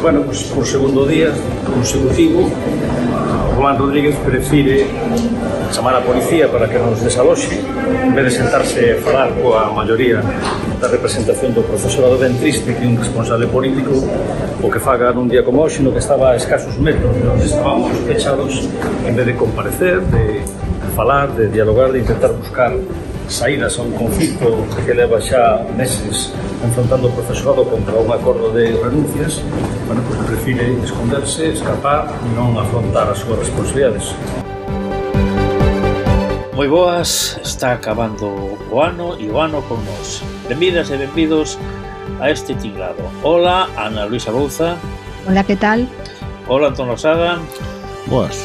Bueno, pues por segundo día consecutivo, Román Rodríguez prefire chamar a policía para que nos desaloxe en vez de sentarse a falar coa maioría da representación do profesorado. Ben triste que un responsable político o que faga nun día como hoxe, no que estaba a escasos metros, onde estábamos fechados, en vez de comparecer, de falar, de dialogar, de intentar buscar saídas a un conflito que leva xa meses enfrontando o profesorado contra un acordo de renuncias. Bueno, pues prefire esconderse, escapar e non afrontar as súas responsabilidades. Moi boas, está acabando o ano e o ano con nós. Benvidas e benvidos a este tinglado. Hola, Ana Luisa Bouza. Hola, que tal? Hola, Antón Losada. Boas.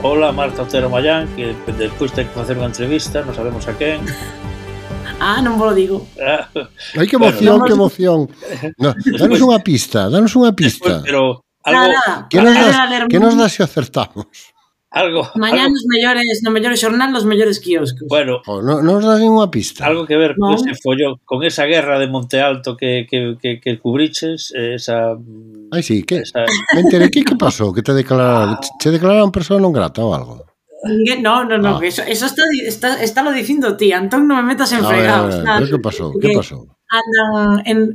Hola, Marta Otero Mayán, que despois ten que facer unha entrevista, non sabemos a quen. Non vos lo digo. Ai, que emoción, bueno, que emoción. No, danos unha pista, Pero algo... Que nos das se acertamos? Algo... Mañá nos mellores xornal, nos mellores quioscos. Bueno... Non nos das ninguna pista. Algo que ver con ese follón, con esa guerra de Monte Alto que cubriches, esa... Ai, sí, que... Me enteré, que pasou? Que te declararon persona non grata ou algo? No, eso está lo dicindo ti, Antón, non me metas en fregados. Pero que pasou?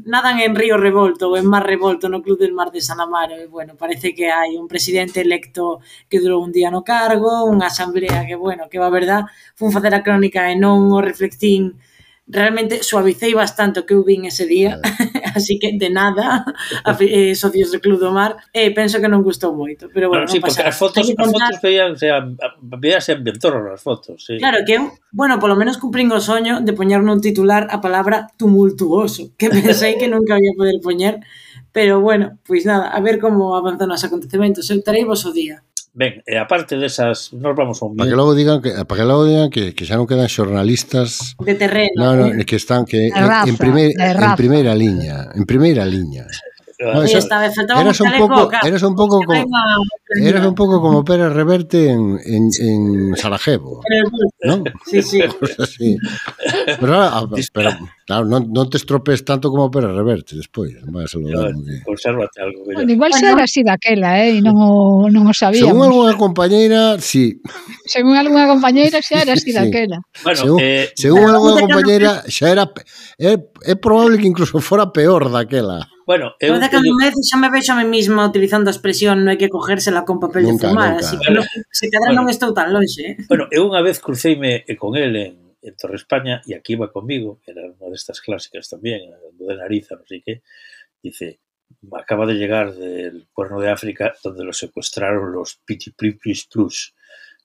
Nadan en Río Revolto ou en Mar Revolto no Club del Mar de San Amaro, e, bueno, parece que hai un presidente electo que durou un día no cargo, unha asamblea que, bueno, que va verdad, fun facer a crónica e non o reflectín. Realmente suavicei bastante o que eu vin ese día, así que de nada, socios do Club do Mar, penso que non gustou moito, pero bueno, sí, non pasa. Porque as fotos veíase ambientoron as fotos, sí. Claro, que eu, bueno, polo menos cumprín o soño de poñer nun titular a palabra tumultuoso, que pensei que nunca ia poder poñer, pero bueno, pois nada, a ver como avanzan os acontecementos, eu terei vos o día. Ben, e aparte desas, nos vamos a un... Para que logo digan que xa non quedan xornalistas de terreno. Que están en primeira liña, No, eras un pouco como Pérez Reverte en Sarajevo, ¿no? Sí. Así. Pero claro, non te estropees tanto como Pérez Reverte despois. Consérvate algo. Bueno, igual xa era así daquela, e non o sabíamos. Según algunha compañeira, sí. Según algunha compañeira xa era así daquela. Bueno, según algunha compañeira xa era... É probable que incluso fora peor daquela. Bueno, eu cada vez xa me vexo a mí mesma utilizando a expresión non hai que cogérsela con papel de fumar, así que se cadra non estou tan longe. Bueno, eu unha vez cruceime con el en Torre España e aquí iba comigo, era unha destas clásicas tamén, de Nariza, non sei que, dice, acaba de llegar del Cuerno de África donde lo secuestraron los Pitipipis Plus,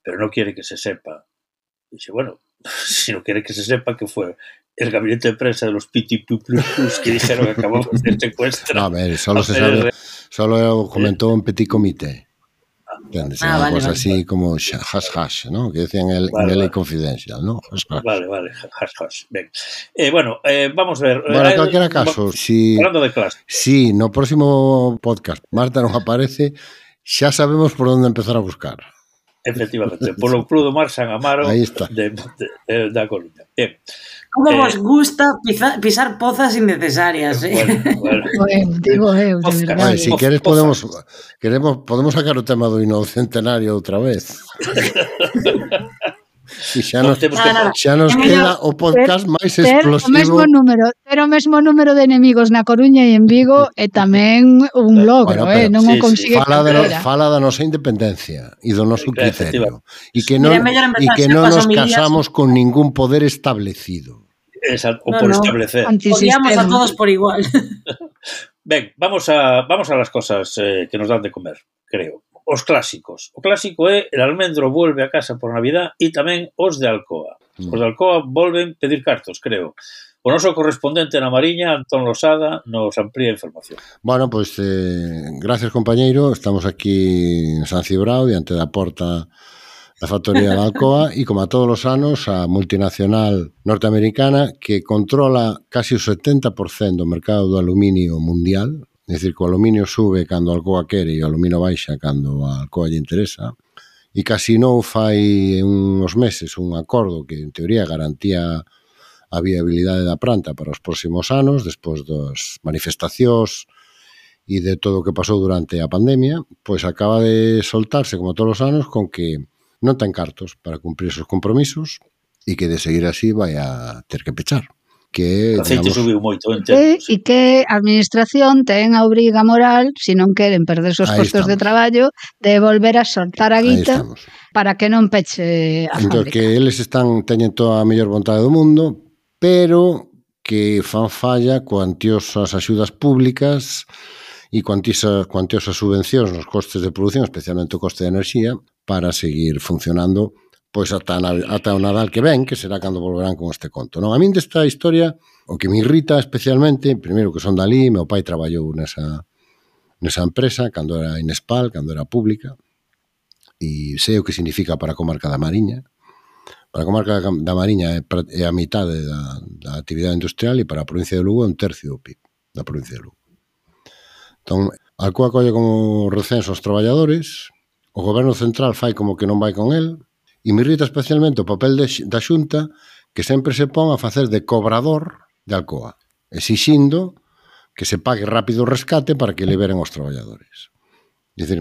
pero no quiere que se sepa. Dice, bueno, si no quiere que se sepa que fue el gabinete de prensa de los Pitipipis que dijeron que acabamos de secuestrar. No, a ver, solo se sabe, solo comentó un petit comité. ¿Entiendes? Una cosa así como hash, ¿no? Que decían en el Confidential, ¿no? Vale, hash. Bien. Bueno, vamos a ver. Bueno, en cualquier caso, hablando de clase. Si no próximo podcast Marta nos aparece, xa sabemos por onde empezar a buscar. Efectivamente, polo Club do Mar San Amaro da Coruña. Bien. Como vos gusta pisar pozas innecesarias, Bueno. Digo eu, de verdade. Si queres podemos sacar o tema do Inocentenario outra vez. E xa nos queda o podcast máis explosivo. Ter o mesmo número de enemigos na Coruña e en Vigo é tamén un logro, non o consigue. Fala da nosa independencia e do noso criterio. E que non nos casamos con ningún poder establecido. Exacto, o por establecer. Odiamos a todos por igual. Ben, vamos a las cosas que nos dan de comer, creo. Os clásicos. O clásico é el almendro vuelve a casa por Navidad e tamén os de Alcoa. Os de Alcoa volven pedir cartos, creo. O noso correspondente na Mariña, Antón Losada, nos amplía a información. Bueno, pois, gracias, compañeiro. Estamos aquí en San Cibrao, diante da porta da factoría de Alcoa, e como a todos os anos, a multinacional norteamericana que controla casi o 70% do mercado do aluminio mundial. É dicir, que o aluminio sube cando a Alcoa quere e o aluminio baixa cando a Alcoa lle interesa. E casi non fai uns meses un acordo que, en teoría, garantía a viabilidade da planta para os próximos anos, despois das manifestacións e de todo o que pasou durante a pandemia, pois acaba de soltarse, como todos os anos, con que non ten cartos para cumprir esos compromisos e que de seguir así vai a ter que pechar. Que, o aceite subiu moito en tempos. E que a administración ten a obriga moral, se non queren perder os postos de traballo, de volver a soltar a guita para que non peche a fábrica. Que eles teñen toda a mellor vontade do mundo, pero que fan falla cuantiosas axudas públicas e cuantiosas subvencións nos costes de produción, especialmente o coste de enerxía, para seguir funcionando pois ata o Nadal que ven, que será cando volverán con este conto. Non, a min desta historia, o que me irrita especialmente, primeiro que son dali, meu pai traballou nesa empresa, cando era Inespal, cando era pública, e sei o que significa para a comarca da Mariña. Para a comarca da Mariña é a mitade da actividade industrial e para a provincia de Lugo é un tercio do PIB da provincia de Lugo. Entón, Alcoa colle como recenso aos traballadores, o goberno central fai como que non vai con el, e me irrita especialmente o papel da Xunta que sempre se pon a facer de cobrador de Alcoa, exixindo que se pague rápido o rescate para que liberen os traballadores. É dicir,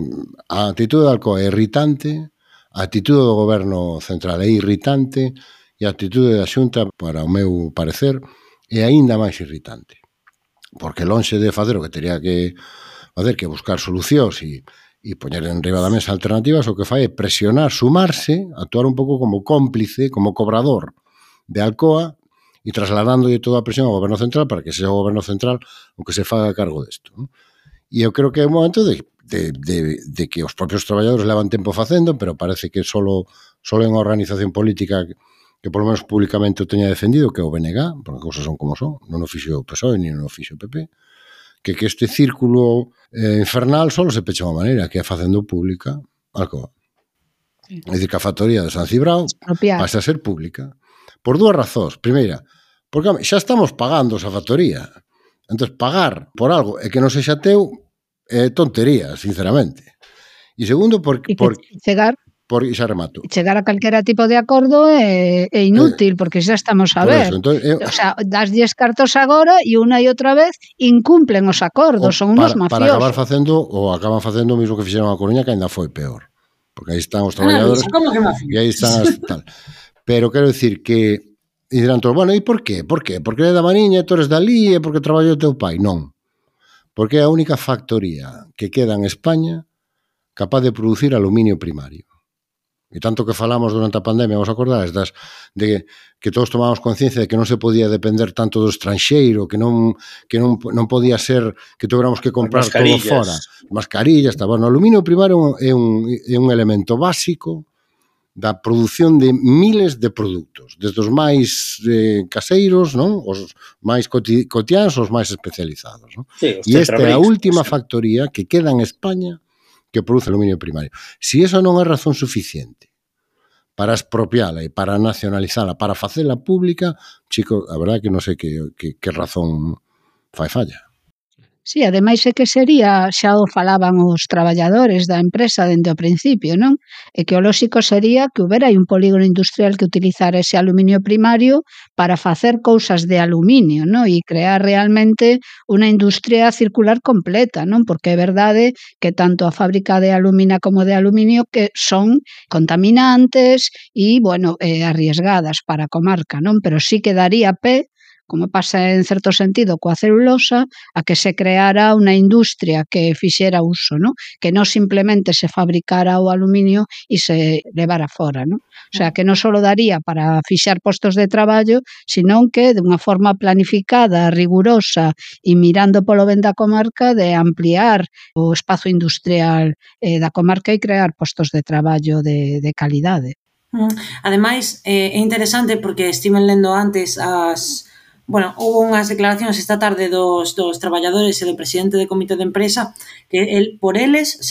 a actitude de Alcoa é irritante, a actitude do goberno central é irritante e a actitude da Xunta, para o meu parecer, é aínda máis irritante. Porque lonxe de facer o que teria que facer, que buscar solucións e poñer en riba da mesa alternativas, o que fai é presionar, sumarse, actuar un pouco como cómplice, como cobrador de Alcoa e trasladándolle toda a presión ao goberno central para que sexa o goberno central o que se faga cargo desto. E eu creo que é un momento de que os propios traballadores levan tempo facendo, pero parece que solo é unha organización política que por lo menos públicamente o teña defendido, que é o BNG, porque cousas son como son, non o fixo o PSOE ni non o fixo o PP, que este círculo infernal só se pecha unha maneira, que é facendo pública Alcoa. É dicir, que a factoría de San Cibrao pasa a ser pública. Por dúas razóns. Primeira, porque xa estamos pagando esa factoría. Entón, pagar por algo e que non sexa teu é tontería, sinceramente. E segundo, porque xa remato. Chegar a calquera tipo de acordo é inútil, porque xa estamos a ver. O sea, daslles cartos agora e unha e outra vez incumplen os acordos, son unos mafiosos. Para acabar facendo, ou acaban facendo o mismo que fixeron a Coruña, que ainda foi peor. Porque aí están os traballadores e aí están as tal. Pero quero dicir que e dirán todos, bueno, e por qué? Por qué? Porque é da Mariña, tú eres dali, e porque traballou o teu pai? Non. Porque é a única factoría que queda en España capaz de producir aluminio primario. E tanto que falamos durante a pandemia, vos acordades, de que todos tomamos conciencia de que non se podía depender tanto do estranxeiro, que non podía ser que tuviéramos que comprar todo fora. Mascarillas, o aluminio primario é un elemento básico da produción de miles de produtos, desde os máis caseiros, non? Os máis cotiáns, os máis especializados. Non? Sí, e esta é a última factoría que queda en España que produce aluminio primario. Si eso non é razón suficiente para expropiala e para nacionalizala, para facela pública, chico, a verdade que non sei que razón fai falla. Sí, ademais é que sería, xa o falaban os traballadores da empresa dende o principio, non? E que o lóxico sería que houbera un polígono industrial que utilizara ese aluminio primario para facer cousas de aluminio, non? E crear realmente unha industria circular completa, non? Porque é verdade que tanto a fábrica de alumina como de aluminio que son contaminantes e, bueno, arriesgadas para a comarca, non? Pero sí que daría pé, como pasa en certo sentido coa celulosa, a que se creara unha industria que fixera uso, ¿no? Que non simplemente se fabricara o aluminio e se levara fora, ¿no? O sea, que non só daría para fixar postos de traballo, senón que de unha forma planificada, rigurosa e mirando polo ben da comarca de ampliar o espazo industrial da comarca e crear postos de traballo de calidade. Ademais, é interesante porque estiven lendo antes Bueno, houve unhas declaracións esta tarde dos traballadores e do presidente do comité de empresa que por eles,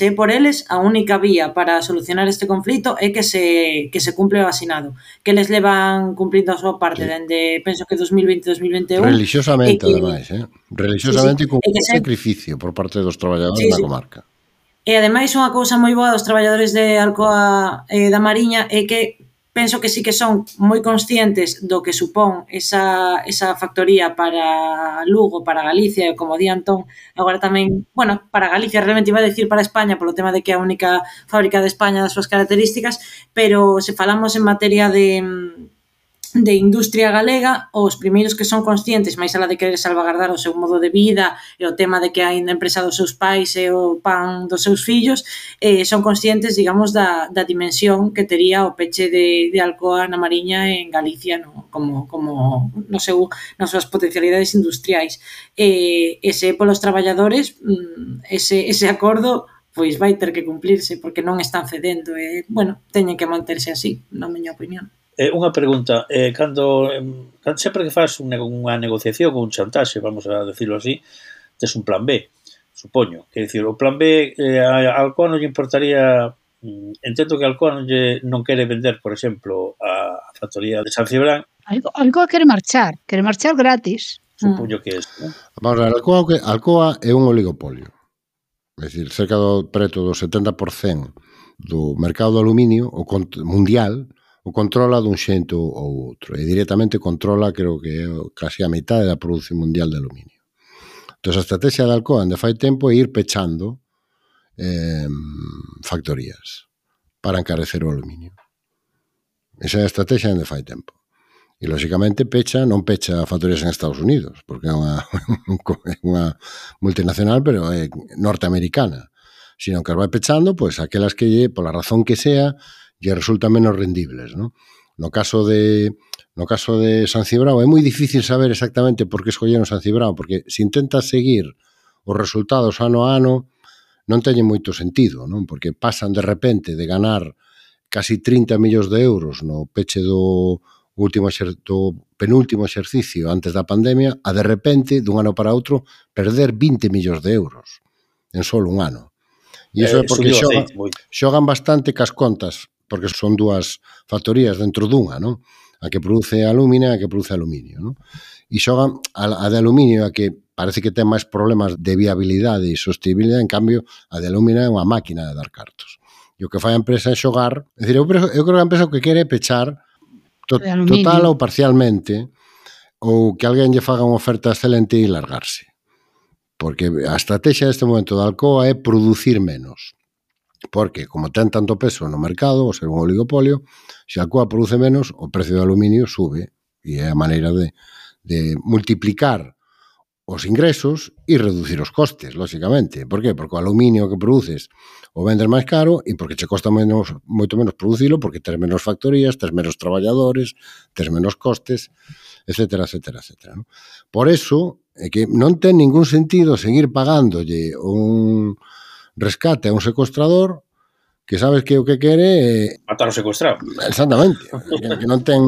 a única vía para solucionar este conflito é que se cumple o asinado, que eles levan cumplindo a súa parte dende, penso que 2020-2021. Religiosamente, ademais, religiosamente sí, con un sacrificio por parte dos traballadores da comarca. E ademais unha cousa moi boa dos traballadores de Alcoa da Mariña é que penso que sí que son moi conscientes do que supón esa factoría para Lugo, para Galicia, e como di Antón, agora tamén, bueno, para Galicia, realmente iba a decir para España, polo tema de que é a única fábrica de España das súas características, pero se falamos en materia de industria galega, os primeiros que son conscientes, máis alá de querer salvagardar o seu modo de vida e o tema de que a empresa dos seus pais e o pan dos seus fillos, son conscientes, digamos, da dimensión que tería o peche de Alcoa na Mariña en Galicia, no? como nas súas potencialidades industriais. Ese polos traballadores, ese acordo pois vai ter que cumplirse, porque non están cedendo, bueno, teñen que manterse así, na miña opinión. Unha pregunta, cando sempre que faz unha negociación ou un chantaxe, vamos a decirlo así, tes un plan B, supoño. Quer dicir, o plan B, a Alcoa non lle importaría, entendo que a Alcoa non quere vender, por exemplo, a factoría de San Cibrán. Alcoa quere marchar gratis. Supoño que é isto, non? Vamos a ver, Alcoa é un oligopolio. É dicir, cerca preto do 70% do mercado do aluminio mundial o controla dun xeito ou outro, e directamente controla, creo que é casi a metade da produción mundial de aluminio. Entón, a estrategia de Alcoa onde fai tempo é ir pechando factorías para encarecer o aluminio. Esa é a estrategia onde fai tempo. E, lógicamente, non pecha factorías en Estados Unidos, porque é unha multinacional, pero é norteamericana, sino que as vai pechando, pois, aquelas que, pola razón que sea, lle resultan menos rendibles, ¿no? No caso de San Cibrao é moi difícil saber exactamente por que escolleron San Cibrao, porque se intentas seguir os resultados ano a ano non teñen moito sentido, non? Porque pasan de repente de ganar casi 30 millóns de euros no peche do penúltimo exercicio antes da pandemia a de repente, dun ano para outro, perder 20 millóns de euros en solo un ano. E iso é porque xogan bastante cas contas, porque son dúas factorías dentro dunha, non? A que produce alumina e a que produce aluminio, non? E xogan a de aluminio, a que parece que ten máis problemas de viabilidade e sostenibilidade, en cambio, a de alumina é unha máquina de dar cartos. E o que fai a empresa é xogar, é dicir, eu creo que a empresa o que quere é pechar total ou parcialmente, ou que alguén lle faga unha oferta excelente e largarse. Porque a estrategia deste momento da Alcoa é producir menos. Porque, como ten tanto peso no mercado, o ser un oligopolio, se a Alcoa produce menos, o precio do aluminio sube, e é a maneira de multiplicar os ingresos e reducir os costes, lógicamente. Por qué? Porque o aluminio que produces o vendes máis caro e porque che costa moito menos producilo, porque tes menos factorías, tes menos traballadores, tes menos costes, etcétera, etcétera, etcétera, ¿no? Por eso, é que non ten ningún sentido seguir pagándolle un rescate a un secuestrador que sabes que o que quere é matar o secuestrado. Exactamente. Que non ten...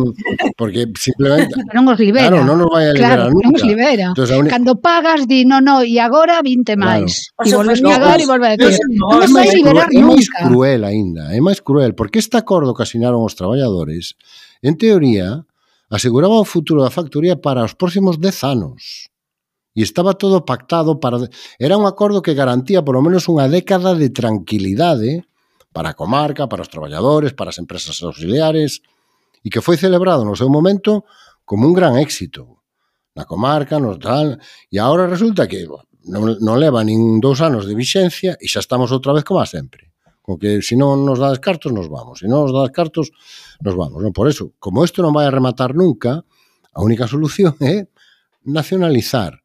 Porque simplemente... Non os libera. Claro, non nos vai a liberar nunca. Non os libera. Entonces, cando pagas, di, no, e agora 20 máis. E volves pagar e volves a decir. Non os vai liberar nunca. É máis cruel aínda. É máis cruel, porque este acordo que asinaron os traballadores, en teoría, aseguraba o futuro da factoría para os próximos 10 anos. E estaba todo pactado para... Era un acordo que garantía por lo menos unha década de tranquilidade para a comarca, para os traballadores, para as empresas auxiliares, e que foi celebrado no seu momento como un gran éxito na comarca, no tal, e agora resulta que non leva nin 2 anos de vixencia e xa estamos outra vez como a sempre. Con que se non nos dá cartos, nos vamos. Se non nos dá cartos, nos vamos. Non? Por eso, como isto non vai a rematar nunca, a única solución é nacionalizar.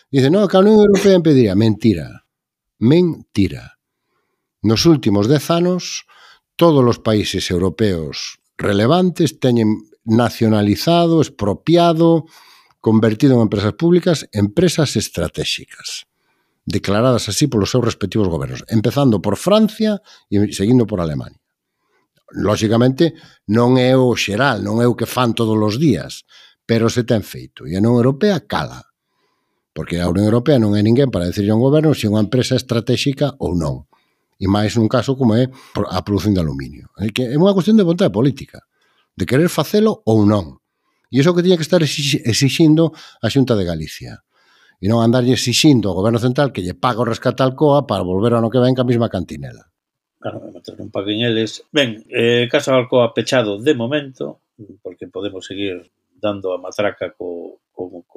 Dice, no, que a Unión Europea impediría. Mentira. Mentira. Nos últimos 10 anos, todos os países europeos relevantes teñen nacionalizado, expropiado, convertido en empresas públicas, empresas estratégicas, declaradas así polos seus respectivos gobernos, empezando por Francia e seguindo por Alemania. Lógicamente, non é o xeral, non é o que fan todos os días, pero se ten feito. E a Unión Europea cala, porque a Unión Europea non é ninguén para decirle a un goberno se é unha empresa estratégica ou non. E máis nun caso como é a produción de aluminio. É unha cuestión de vontade política, de querer facelo ou non. E iso que tiña que estar exixindo a Xunta de Galicia. E non andarlle exixindo ao Goberno Central que lle pague o rescate a Alcoa para volver ao ano que ven ca mesma cantinela. Claro, mentre non paguen eles. Ben, Casa de Alcoa pechado de momento, porque podemos seguir dando a matraca co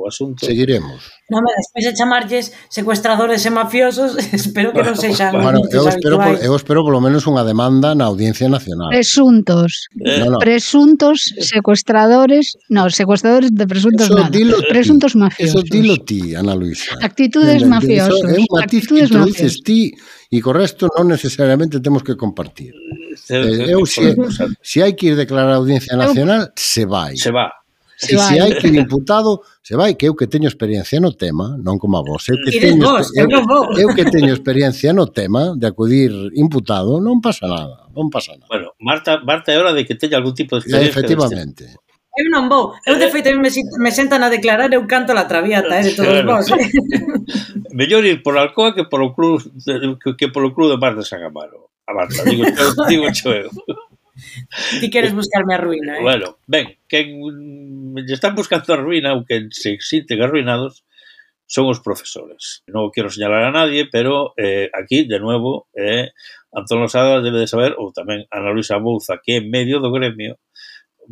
asunto. Seguiremos. Non, despois de chamarlles secuestradores e mafiosos, espero que non sexan Bueno, os ditos habituais. eu espero polo menos unha demanda na Audiencia Nacional. Presuntos. No. Presuntos secuestradores, no, secuestradores de presuntos Eso nada. dilo ti. Presuntos mafiosos. Eso dilo ti, Ana Luisa. Actitudes mafiosos. É un matiz que introduces ti e co resto non necesariamente temos que compartir. Eu, se hai que ir declarar a Audiencia Nacional, se vai. Se va. E se hai que ir imputado, se vai, que eu que teño experiencia no tema, non como a vos, eu que teño experiencia no tema de acudir imputado, non pasa nada, non pasa nada. Bueno, Marta é hora de que teña algún tipo de experiencia. Efectivamente. Eu non vou. Eu, de feito, me sentan a declarar, eu canto la traviata, de todos vos. Mellor ir por Alcoa que polo Club de Mar de San Amaro. A Marta, digo cho eu. Ti queres buscarme a ruína, Bueno, ben, quen lle están buscando a ruína ou quen se sinten arruinados son os profesores. Non quero señalar a nadie, pero aquí, de nuevo, Antón Losada debe de saber, ou tamén Ana Luisa Bouza, que é medio do gremio,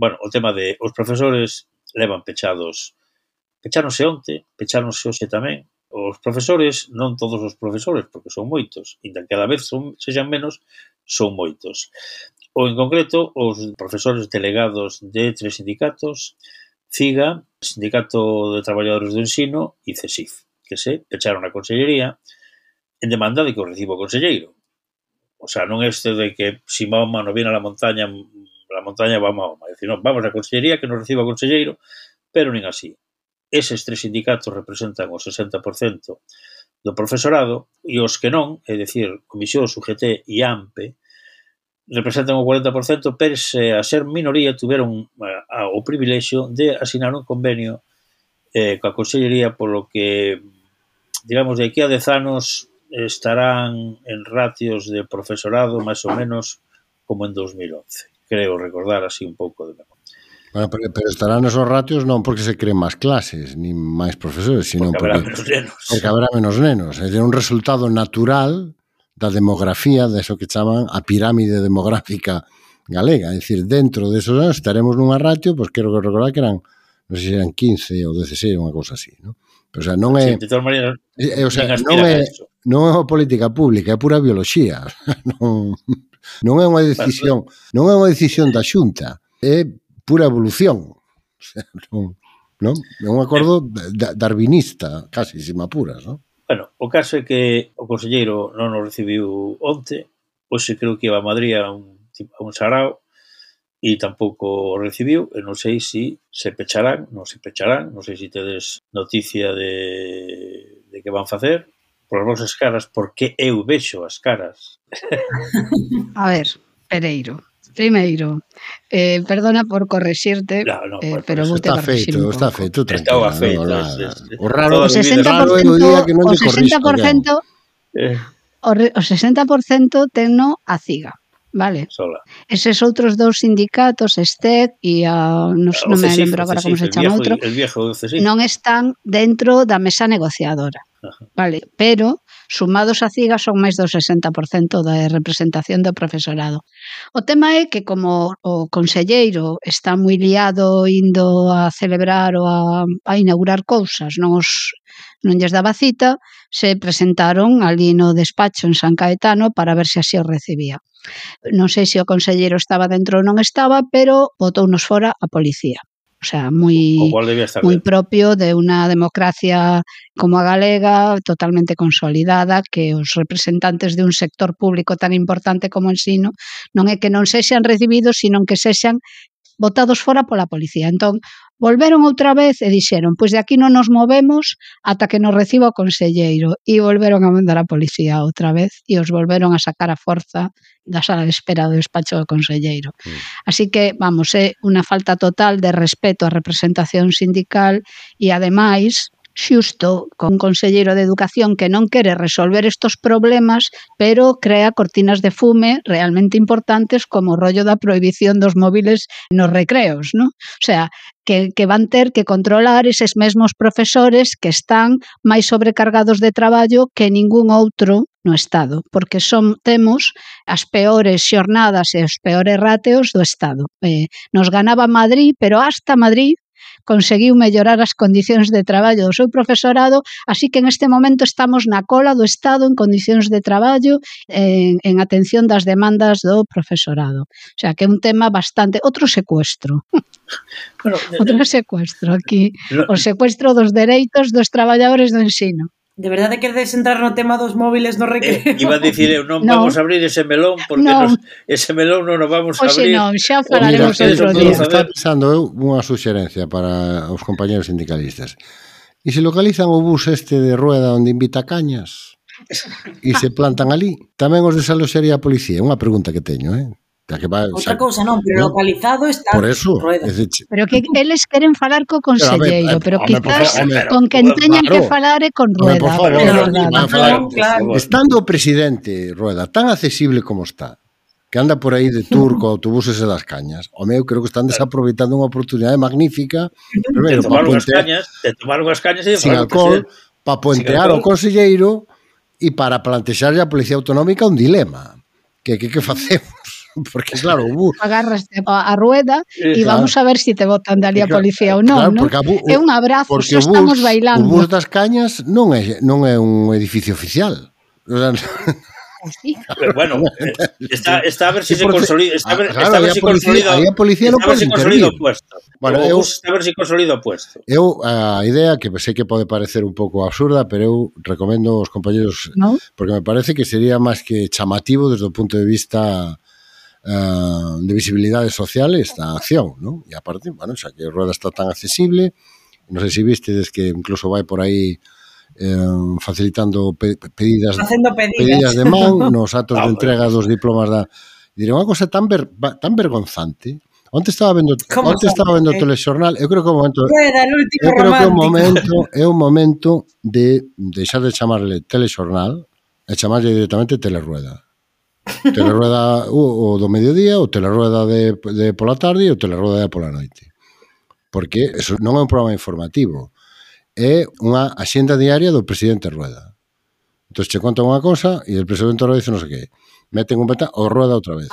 bueno, o tema de os profesores levan pecháronse onte, pecháronse hoxe tamén. Os profesores, non todos os profesores, porque son moitos, e cada vez sexan menos, son moitos. Ou, en concreto, os profesores delegados de 3 sindicatos, CIGA, Sindicato de Traballadores do Ensino e CESIF, que se pecharon a consellería en demanda de que o reciba o conselleiro. O sea, non este de que si Mahoma no viene a la montaña va Mahoma. É dicir, non, vamos a consellería que nos reciba o conselleiro, pero nin así. Eses 3 sindicatos representan o 60% do profesorado e os que non, é dicir, Comisión, UGT e AMPE, representan o 40%, pese a ser minoría, tuveron o privilexio de asinar un convenio coa Consellería, polo que, digamos, de aquí a 10 anos estarán en ratios de profesorado máis ou menos como en 2011. Creo recordar así un pouco de memoria. Bueno, pero estarán esos ratios non porque se creen máis clases, ni máis profesores, sino porque habrá menos nenos. Porque habrá menos nenos. É un resultado natural da demografía, de eso que chaman a pirámide demográfica galega. É dicir, dentro desos anos estaremos nunha ratio, pois quero recordar que eran, non sei se eran 15 ou 16, unha cousa así, non? Pero, o sea, non é... Sí, de todas maneiras, non é unha política pública, é pura bioloxía. Non é unha decisión, non é unha decisión da Xunta, é pura evolución. O sea, non? É un acordo darwinista, casi, se me apuras, non? Bueno, o caso é que o conselleiro non nos recibiu onte, hoxe creo que iba a Madrid a un sarao e tampouco o recibiu, e non sei se pecharán, non sei se tedes noticia de que van facer, por as vosas caras, porque eu vexo as caras. A ver, Pereiro. Primeiro, perdona por correxirte, pero vou te correxir un pouco. Está feito, tranquila. O raro é o día que non te corrixo. O 60% tenno a CIGA, vale? Sola. Eses outros dous sindicatos, STEC e non me lembro agora como se chama outro, non están dentro da mesa negociadora. Vale, pero sumados a CIGA son máis do 60% da representación do profesorado. O tema é que como o conselleiro está moi liado indo a celebrar ou a inaugurar cousas, non lles daba cita, se presentaron ali no despacho en San Caetano para ver se así o recibía. Non sei se o conselleiro estaba dentro ou non estaba, pero botounos fora a policía. O sea, moi propio de unha democracia como a galega, totalmente consolidada, que os representantes de un sector público tan importante como o ensino non é que non sexan recibidos, sino que sexan botados fora pola policía. Entón, volveron outra vez e dixeron, pois de aquí non nos movemos ata que nos reciba o conselleiro, e volveron a mandar a policía outra vez e os volveron a sacar a forza da sala de espera do despacho do conselleiro. Así que, vamos, é unha falta total de respeto á representación sindical e, ademais, xusto con un conselleiro de Educación que non quere resolver estos problemas, pero crea cortinas de fume realmente importantes como o rollo da prohibición dos móviles nos recreos, non? O sea, que van ter que controlar eses mesmos profesores que están máis sobrecargados de traballo que ningún outro no Estado, porque temos as peores xornadas e os peores rateos do Estado. Nos ganaba Madrid, pero hasta Madrid conseguiu mellorar as condicións de traballo do seu profesorado, así que en este momento estamos na cola do Estado en condicións de traballo, en atención das demandas do profesorado. O sea, que é un tema bastante... Outro secuestro. Bueno, Outro secuestro aquí. O secuestro dos dereitos dos traballadores do ensino. De verdade queredes entrar no tema dos móviles no recreo? Iba a dicir eu, non vamos a abrir ese melón porque ese melón non o vamos a abrir. Non, xa falaremos outro día. Está pensando eu unha suxerencia para os compañeros sindicalistas. E se localizan o bus este de Rueda onde invita Cañas e se plantan ali, tamén os desaloxaría a policía? Unha pregunta que teño, Outra cousa non, pero localizado está por eso, Rueda. Pero que eles queren falar co conselleiro, pero quizás con quen teñan que falar é con Rueda. Por favor, claro. Estando o presidente Rueda tan accesible como está, que anda por aí de tour co autobuses e das Cañas, o meu creo que están desaproveitando unha oportunidade magnífica de tomar unhas cañas e sin alcohol, para puentear ao conselleiro e para plantexarlle a Policía Autonómica un dilema. Que facemos? Porque claro, agarraste a Rueda e vamos a ver se te botan dali a policía ou non, claro, é un abrazo, xa estamos bailando. O bus das Cañas non é un edificio oficial. Sí. Bueno, está a ver si se consolida, está a ver si consolida. Aí a policía non pode intervir. Bueno, está a ver si consolida o puesto. Eu a idea que sei que pode parecer un pouco absurda, pero eu recomendo aos compañeros, porque me parece que sería máis que chamativo desde o punto de vista de visibilidade social esta acción, ¿no? E aparte, bueno, xa que Rueda está tan accesible, non sei se vistedes que incluso vai por aí facilitando pedidas de man nos atos de entrega dos diplomas diré unha cosa tan vergonzante. Onte estaba vendo o telexornal, eu creo que é o momento de deixar de chamarle telexornal e chamarle directamente Telerueda. Telerueda o do mediodía, o Telerueda de pola tarde e o Telerueda de pola noite. Porque eso non é un programa informativo, é unha axenda diaria do presidente Rueda. Entón, che contan unha cosa e o presidente Rueda dice non sei que. Meten un beta o Rueda outra vez.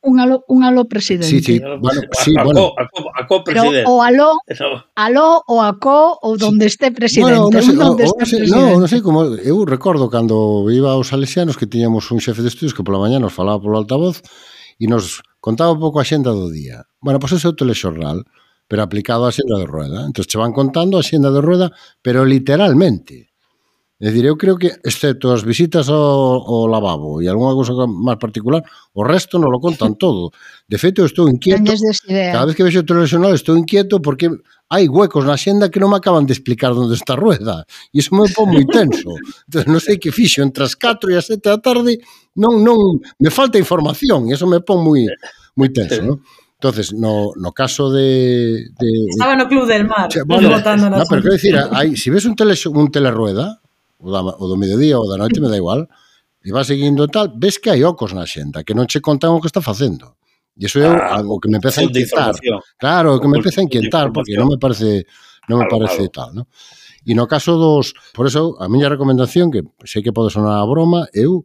Un aló presidente. Sí, bueno. A co-presidente. Pero o aló ou a co ou donde esté presidente. Non sei como. Eu recordo cando iba aos salesianos que tiñamos un xefe de estudios que pola mañá nos falaba polo altavoz e nos contaba un pouco a xenda do día. Bueno, pois ese é o telexornal, pero aplicado á xenda de Rueda. Entón, che van contando a xenda de Rueda, pero literalmente. É dicir, eu creo que, excepto as visitas ao lavabo e algunha cousa máis particular, o resto non lo contan todo. De feito, eu estou inquieto. Cada vez que vexo o telexornal estou inquieto porque hai huecos na xenda que non me acaban de explicar onde está Rueda. E iso me pon moi tenso. Entón, non sei que fixo entre as 4 e as 7 da tarde, non me falta información e iso me pon moi tenso, non? Entonces, no caso de... Estaba no Club del Mar. Bueno, pero quero dicir, se ves un Telerueda, o do mediodía ou da noite, me da igual, e vas seguindo tal, ves que hai ocos na xenda, que non che contan o que está facendo. E iso é algo que me empeza a inquietar. Claro, que me empeza a inquietar, porque non me parece tal, non? E no caso dos... Por eso, a miña recomendación, que sei que pode sonar a broma, eu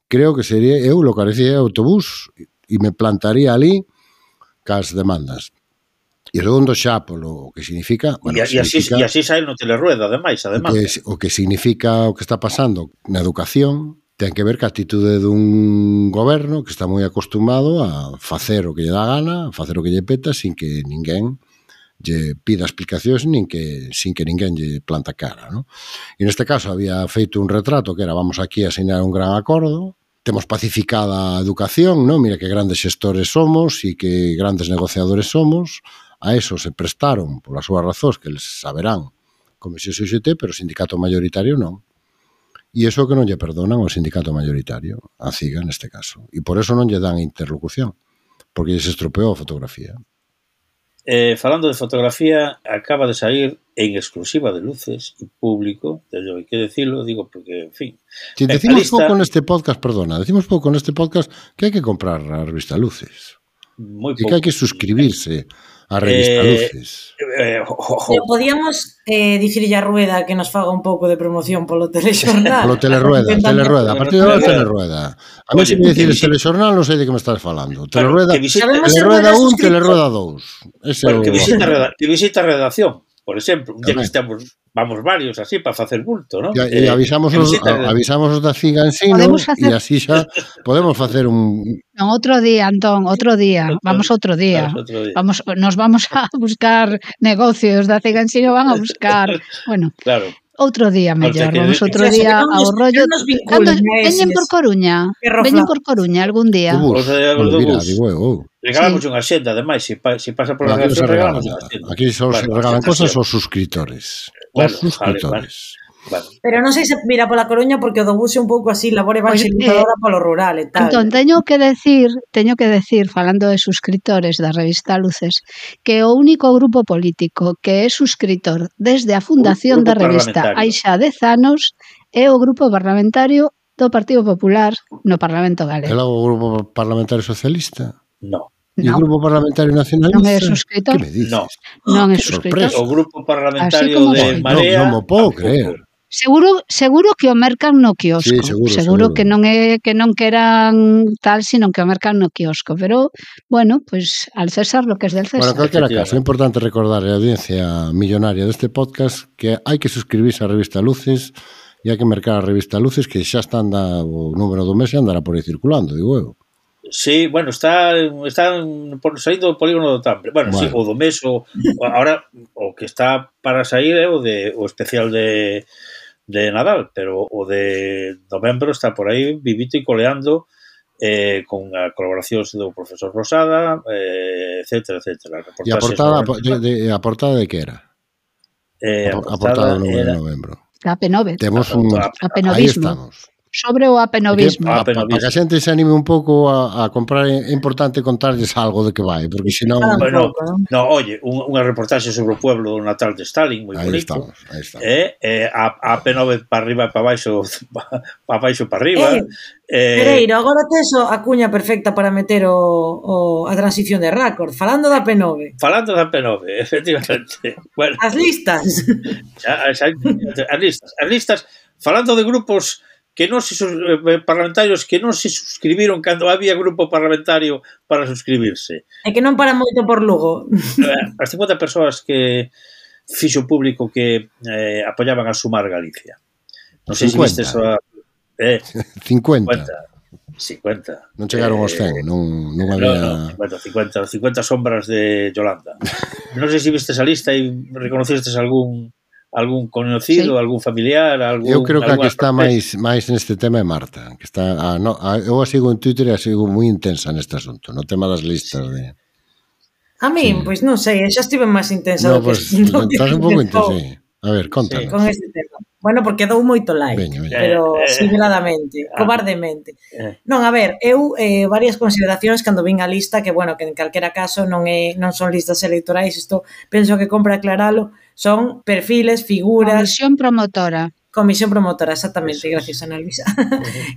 creo que sería, eu localizaría o autobús e me plantaría ali cas demandas. E segundo xa polo que significa... Bueno, e así sai no Telerueda, ademais. O que significa o que está pasando na educación ten que ver ca atitude dun goberno que está moi acostumado a facer o que lle dá gana, a facer o que lle peta, sin que ninguén lle pida explicacións, sin que ninguén lle planta cara, ¿no? E neste caso había feito un retrato que era vamos aquí a asignar un gran acordo, temos pacificada a educación, ¿no? Mira que grandes xestores somos e que grandes negociadores somos. A eso se prestaron polas súas razóns que eles saberán Comisión UGT, pero o sindicato mayoritario non. E iso que non lle perdonan ao sindicato mayoritario, a CIGA neste caso. E por eso non lle dan interlocución, porque lle se estropeou a fotografía. Falando de fotografía, acaba de sair en exclusiva de Luces e público, hai que decirlo, digo, porque, en fin... Decimos pouco neste podcast que hai que comprar a revista Luces. E que hai que suscribirse A revista Luces. Podíamos dicirlle a Rueda que nos faga un pouco de promoción polo telexornal. Polo Telerueda. A partir de agora Telerueda. A mí se me dicires telexornal non sei de que me estás falando. Telerueda 1, Telerueda 2. Que visita a redacción, por exemplo, un día que estamos, vamos varios así para facer bulto, non? E avisamos os da Cigansino e así xa podemos facer un... Non, outro día, Antón, outro día. Vamos outro día. Nos vamos a buscar negocios da Cigansino, van a buscar, bueno, claro. Outro día mellor, vamos outro día ao rollo. Veñen por Coruña, algún día. Regalamos unha xenda, ademais, se pasa por la redacción, regalamos unha xenda. Aquí só se regalan cosas aos suscriptores. Os suscriptores. Pero non sei se mira pola Coruña porque o do bus é un pouco así, labor evangelizadora polo rural e tal. Entón, teño que decir, falando de suscriptores da revista Luces, que o único grupo político que é suscriptor desde a fundación da revista hai xa 10 anos é o grupo parlamentario do Partido Popular no Parlamento Galego. É o grupo parlamentario socialista? No. E o grupo parlamentario nacionalista? Non é suscritor? Que me dices? Non é suscritor. O grupo parlamentario de Marea... Non mo podo creer. Seguro que o mercan no quiosco. Sí, seguro. Que non é que non queran tal, sino que o mercan no quiosco. Pero, bueno, pues al César lo que es del César. Bueno, en calquera caso, é importante recordar a audiencia millonaria deste podcast que hai que suscribirse á revista Luces e hai que mercar a revista Luces, que xa está o número do mes e andará por aí circulando, digo eu. Sí, bueno, están saindo do polígono do Tambre. Bueno, sí, o do mes, ahora o que está para sair é o especial de Nadal, pero o de novembro está por aí vivito e coleando con a colaboracións do profesor Rosada, etcétera. E a portada de que era? A portada do 9 de novembro. A P9. Temos un... Aí estamos. Sobre o apenovismo. Para que a xente se anime un pouco a comprar, é importante contarles algo de que vai, porque senón... Bueno, oye, unha reportaxe sobre o pueblo natal de Stalin, moi bonito. Aí estamos. A P9 para arriba e para baixo, para baixo e para arriba. Pereiro, agora tes a cuña perfecta para meter a transición de Record, falando da P9. Falando da P9, efectivamente. Bueno, as listas. As listas, falando de grupos que non se parlamentarios que non se suscribiron cando había grupo parlamentario para suscribirse. E que non para moito por Lugo. As 50 persoas que fixo público que apoyaban a Sumar Galicia. Non sei se vistes a... 50. 50. Non chegaron aos 100, non había... Bueno, 50 sombras de Yolanda. Non sei se vistes a lista e reconocistes algún conocido, algún familiar, eu creo que a que está máis neste tema é Marta, que está eu a sigo en Twitter e a sigo moi intensa neste asunto, no tema das listas de... A min, pois non sei, xa estive máis intensa do que... Estás un pouco intensa, sí. A ver, contanos. Con este tema. Bueno, porque dou moito like, pero simuladamente, cobardemente. Non, a ver, eu varias consideracións cando vin a lista, que, bueno, que en calquera caso non son listas electorais, isto penso que compra aclaralo, son perfiles, figuras... Comisión promotora, exactamente, gracias, Ana Luisa.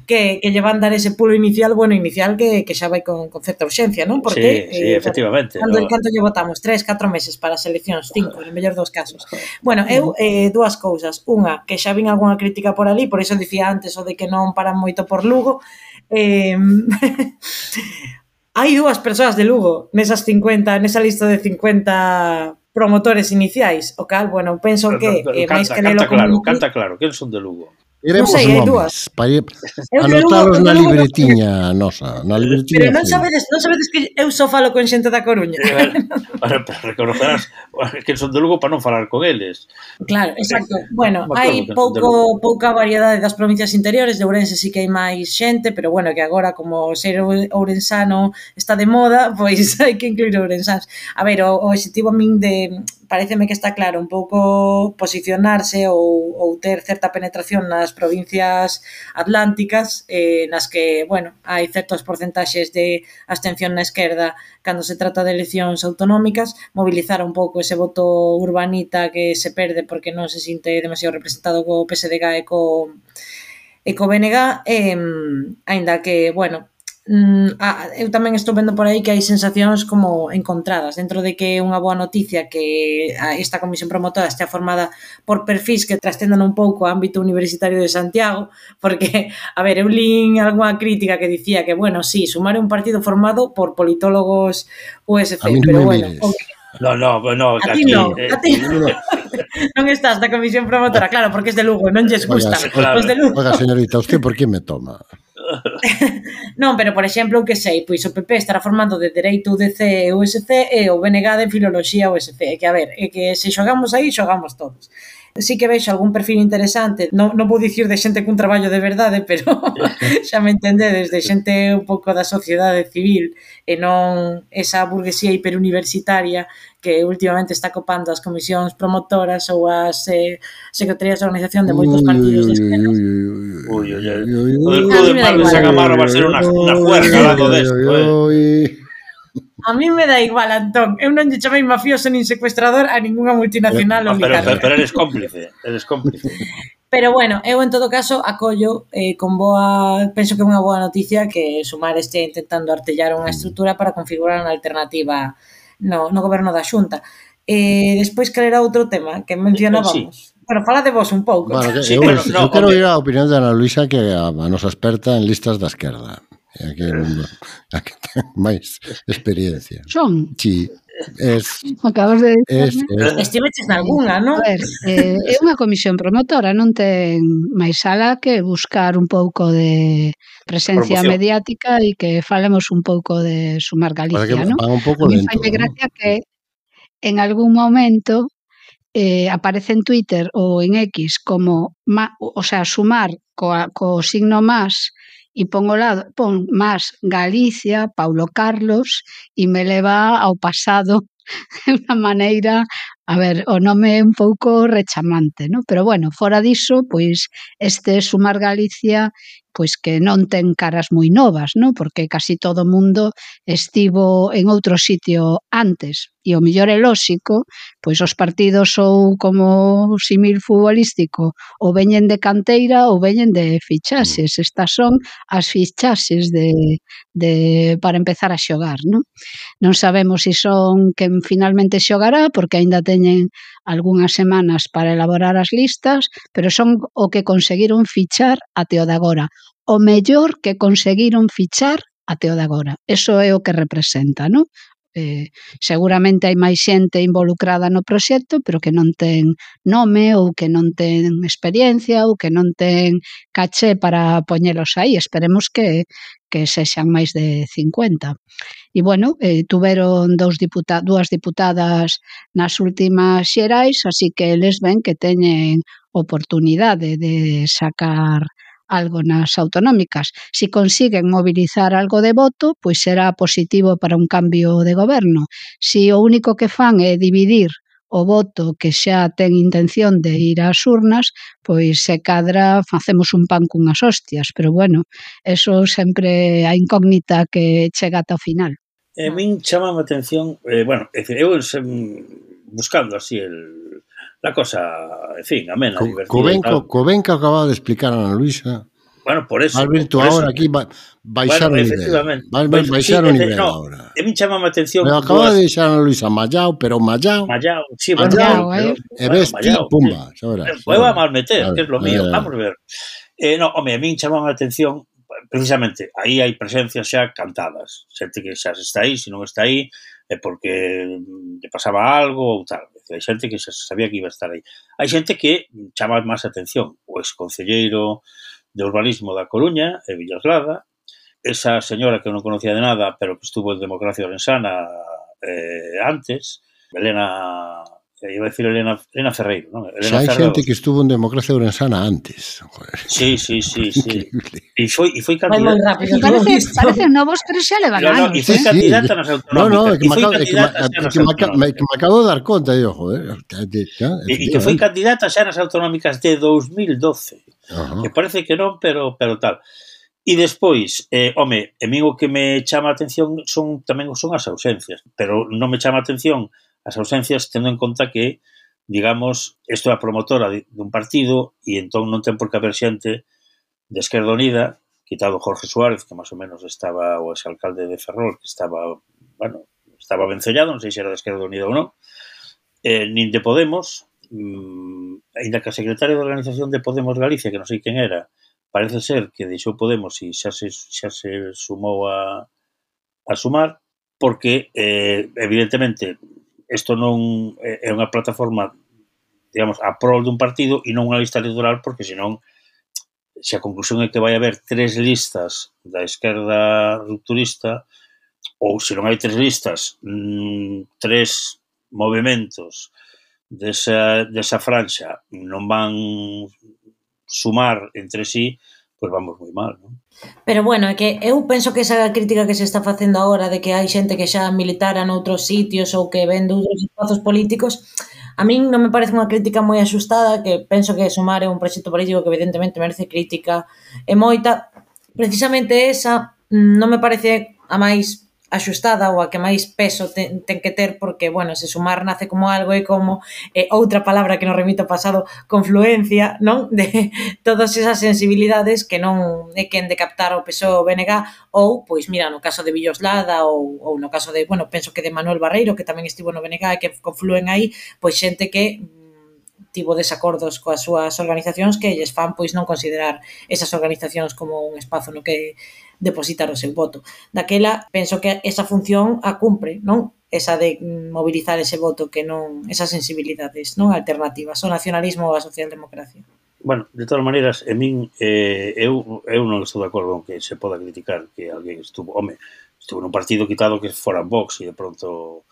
que lle van dar ese pulo inicial, que xa vai con certa urxencia, non? Porque, sí, efectivamente. Canto lle votamos? 3, 4 meses para as eleccións, 5, en mellor dos casos. Bueno, eu, dúas cousas. Unha, que xa vin algunha crítica por ali, por iso dicía antes o de que non paran moito por Lugo. Hai dúas persoas de Lugo nesa lista de 50 promotores iniciais, o cal, bueno, penso que máis que lelo como... Canta claro, quen son de Lugo? Queremos nomes, para anotalos na libretiña nosa, na libretiña. Pero non sabedes que eu só falo con xente da Coruña. Para reconocerás que son de Lugo para non falar con eles. Claro, exacto. Bueno, hai pouca variedade das provincias interiores, de Ourense sí que hai máis xente, pero bueno, que agora como ser ourensano está de moda, pois hai que incluir ourensáns. A ver, o objetivo a min pareceme que está claro un pouco posicionarse ou ter certa penetración nas provincias atlánticas, nas que, bueno, hai certos porcentaxes de abstención na esquerda cando se trata de eleccións autonómicas, mobilizar un pouco ese voto urbanita que se perde porque non se sinte demasiado representado co PSDG e co BNG, aínda que, bueno, eu tamén estou vendo por aí que hai sensacións como encontradas, dentro de que é unha boa noticia que esta comisión promotora estea formada por perfis que trascendan un pouco o ámbito universitario de Santiago, porque, a ver, eu lín algunha crítica que dicía que, bueno, sí, Sumar é un partido formado por politólogos USC, A mí non pero me bueno, mires. No, a ti non, non estás na comisión promotora, claro, porque es de Lugo, non lles gusta. claro. Os de Lugo. Oiga, señorita, ¿usted por qué me toma? Non, pero, por exemplo, que sei, pois o PP estará formando de Dereito UDC e USC e o BNG de Filoloxía USC. Que, a ver, é que se xogamos aí, xogamos todos. Sí que vexo algún perfil interesante, non vou dicir de xente cun traballo de verdade, pero xa me entendedes, de xente un pouco da sociedade civil e non esa burguesía hiperuniversitaria que últimamente está copando as comisións promotoras ou as secretarías de organización de moitos partidos de esquerda. O del Club de Mar de San Amaro va a ser unha juerga ao lado desto, A mí me da igual, Antón. Eu non lle chamei mafioso nin secuestrador a ninguna multinacional ou oligarca. Pero eres cómplice, Pero bueno, eu en todo caso acollo con boa, penso que é unha boa noticia que Sumar este intentando artellar unha estrutura para configurar unha alternativa no goberno da Xunta. Despois cal era outro tema que mencionábamos. Bueno, fala de vos un pouco. Bueno, eu quero ir a opinión de Ana Luisa, que é a nosa experta en listas da esquerda. Aquí é a que ten máis experiencia. Son? Sí, Acabas de dicirme. Estiveches nalgúna, non? A ver, é unha comisión promotora, non ten máis alá que buscar un pouco de presencia mediática e que falemos un pouco de Sumar Galicia, non? Un pouco a mí lento, faime gracia que en algún momento aparece en Twitter ou en X como, o sea, Sumar co signo más e pon más Galicia, Paulo Carlos, e me leva ao pasado de unha maneira, a ver, o nome é un pouco rechamante, non? Pero bueno, fora diso, pois este Sumar Galicia, pois que non ten caras moi novas, non? Porque casi todo o mundo estivo en outro sitio antes, e o mellor é lóxico, pois os partidos ou como símil futbolístico ou veñen de canteira ou veñen de fichaxes. Estas son as fichaxes para empezar a xogar, non? Non sabemos se son quen finalmente xogará, porque aínda teñen algunhas semanas para elaborar as listas, pero son o que conseguiron fichar até o de agora. O mellor que conseguiron fichar até o de agora. Eso é o que representa, non? Seguramente hai máis xente involucrada no proxecto, pero que non ten nome ou que non ten experiencia ou que non ten caché para poñelos aí. Esperemos que sexan máis de 50. E, bueno, tuveron dúas diputadas nas últimas xerais, así que eles ven que teñen oportunidade de sacar algo nas autonómicas. Si consiguen mobilizar algo de voto, pois será positivo para un cambio de goberno. Si o único que fan é dividir o voto que xa ten intención de ir ás urnas, pois se cadra facemos un pan cunhas hostias, pero bueno, eso sempre a incógnita que chega ata o final. A min chama a atención, bueno, é dicir, eu buscando así la cosa, en fin, amena, divertida. Co ben que acababa de explicar Ana Luisa. Bueno, por eso. Alberto, ahora aquí baixar o nivel. Baixar o nivel ahora. A min chama a atención. Me acaba de deixar Ana Luisa Mallao, pero Mallao. Sí, Mallao, e ves ti, pumba, xa verás. Vai a mal meter, que é lo mío, vamos a ver. No, home, a min chama a atención, precisamente, aí hai presencias xa cantadas. Xente que xa está aí, se non está aí, é porque lle pasaba algo ou tal. Hai xente que xa sabía que iba a estar aí. Hai xente que chama máis atención. O exconcelleiro de Urbanismo da Coruña, e Villaslada, esa señora que non conocía de nada, pero que estuvo en Democracia Orensana antes, Elena Ferreiro, non? Xa hai xente que estuvo en Democracia Orensana antes. Sí. E foi candidata. Parecen novos, pero xa levan anos. E foi candidata nas autonómicas. Me acabo de dar conta, e que foi candidata xa nas autonómicas de 2012. Que parece que non, pero tal. E despois, home, a mí o que me chama a atención tamén son as ausencias, pero non me chama a atención as ausencias tendo en conta que, digamos, isto é a promotora dun partido e entón non ten por que haber xente de Esquerda Unida quitado Jorge Suárez, que máis ou menos estaba o exalcalde de Ferrol, que estaba, bueno, estaba vencellado, non sei se era de Esquerda Unida ou non, nin de Podemos, ainda que a secretaria de Organización de Podemos Galicia, que non sei quen era, parece ser que deixou Podemos e xa se sumou a Sumar, porque, evidentemente, isto non é unha plataforma, digamos, a prol dun partido e non unha lista electoral, porque senón, se a conclusión é que vai haber 3 listas da esquerda rupturista, ou se non hai 3 listas, 3 movimentos desa franxa non van sumar entre sí, pois vamos moi mal, non? Pero bueno, é que eu penso que esa crítica que se está facendo agora de que hai xente que xa militara noutros sitios ou que ven doutros espazos políticos, a min non me parece unha crítica moi axustada, que penso que Sumar é un proxecto político que evidentemente merece crítica e moita. Precisamente esa non me parece a máis axustada ou a que máis peso ten que ter, porque, bueno, se Sumar nace como algo e como outra palabra que nos remite ao pasado, confluencia, non? De todas esas sensibilidades que non é quen de captar o PSOE ou BNG, ou, pois, mira, no caso de Villoslada ou no caso de, bueno, penso que de Manuel Barreiro, que tamén estivo no BNG e que confluen aí, pois xente que tivo desacordos coas súas organizacións que lles fan, pois, non considerar esas organizacións como un espazo no que depositar o seu voto. Daquela, penso que esa función a cumpre, non? Esa de mobilizar ese voto, que non, esas sensibilidades, non alternativas, o nacionalismo ou a socialdemocracia. Bueno, de todas maneiras, en min, eu non estou de acordo con que se poda criticar que alguén estuvo nun partido quitado que fora Vox e de pronto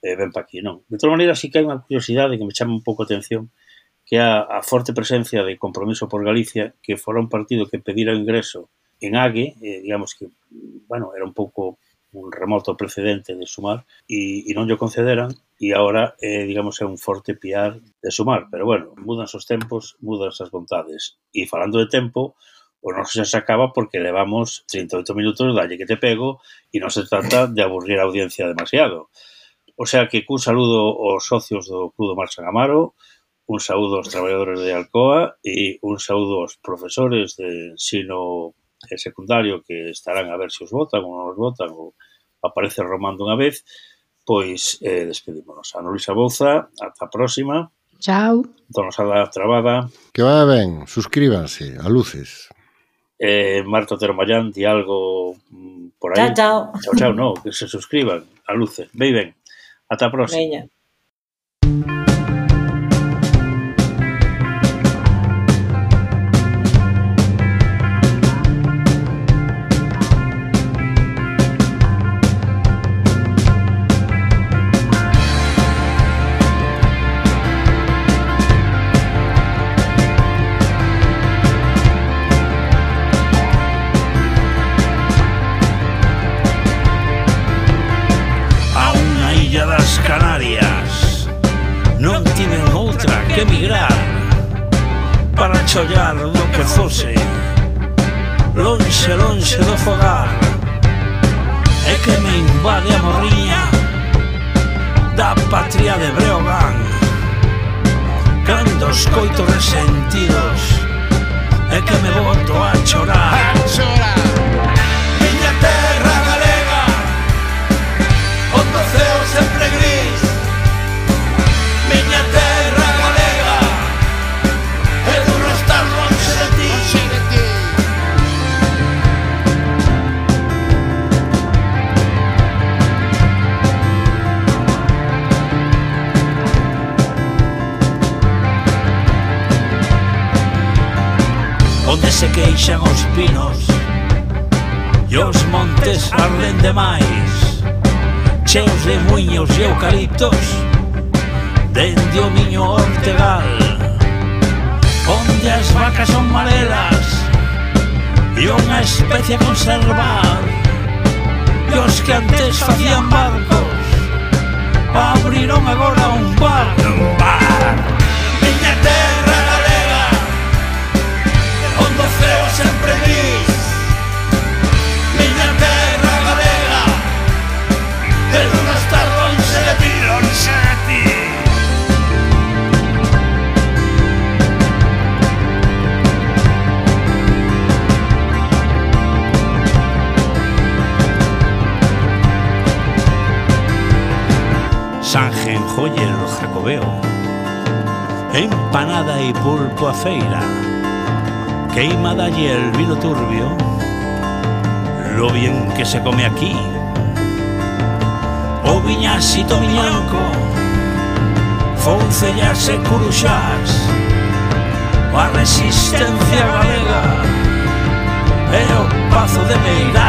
ven pa aquí, non. De todas maneiras, sí que hai unha curiosidade que me chama un pouco a atención, que é a forte presencia de Compromiso por Galicia, que fora un partido que pedira o ingreso en AGE, digamos que, bueno, era un pouco un remoto precedente de Sumar e non lle concederan e agora, digamos, é un forte piar de Sumar, pero bueno, mudan os tempos, mudan as vontades e falando de tempo, o noso xa se acaba porque levamos 38 minutos dalle que te pego e non se trata de aburrir a audiencia demasiado. O sea que cun saludo aos socios do Club do Mar San Amaro, un saúdo aos traballadores de Alcoa e un saúdo aos profesores de ensino secundario que estarán a ver se os votan ou non os votan ou aparece romando unha vez, pois despedímonos. Ana Luisa Bouza, ata a próxima. Chao. Dona Sala Trabada. Que vaya ben, suscríbanse a Luces. Marta Otero Mayán, di algo por aí. Chao, chao. Chao, chao, no, que se suscriban a Luces. Vei ben. Ata a próxima. Veña. Que emigrar para chollar do que fose lonxe, lonxe do fogar e que me invade a morriña da patria de Breogán cando escoito resentidos e que me boto a chorar miña terra galega onde o ceo sempre gris miña terra onde se queixan os pinos e os montes arden demais cheos de muiños e eucaliptos dende o Miño Ortegal onde as vacas son marelas e unha especie a conservar e os que antes facían barcos abriron agora un bar miña terra galega onde o ceo sempre gris miña terra galega de non estar lonxe de ti joller o Jacobeo, empanada e pulpo a feira, queimada y el vino turbio, lo bien que se come aquí, o viñasito miñanco, foncellas e curuxás, a resistencia galega e o pazo de Meirás.